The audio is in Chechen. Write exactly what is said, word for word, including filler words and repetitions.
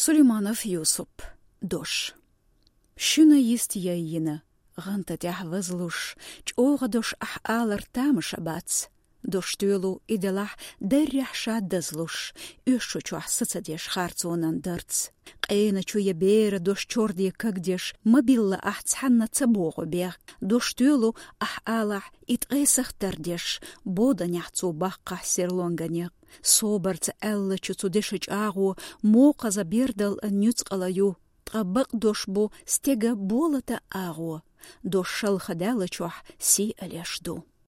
Сулейманов Юсуп. Дош. Шуна йист яйина, гӀанта тӀехь вазлуш, чӀогӀа дош ахь алар тамаша бац. Дош тоьлу и делахь даррехь ша дазлуш, оьшучохь сацадеш харцонан дарц. Къена чу я бера дош чорде кагдеш, ма билла ахь цхьанна ца богӀу бехк. Дош тоьлу ахь алахь и ткъе сахтардеш, боданехь цо баккхахь серлонганех. Собарца аьллачу цу деша чӀагӀо, мокхаза бердал а нуьцкъала ю, ткъа бакъ дош бу стега болата агӀо. Дош шалха даьллачохь сий алеш ду.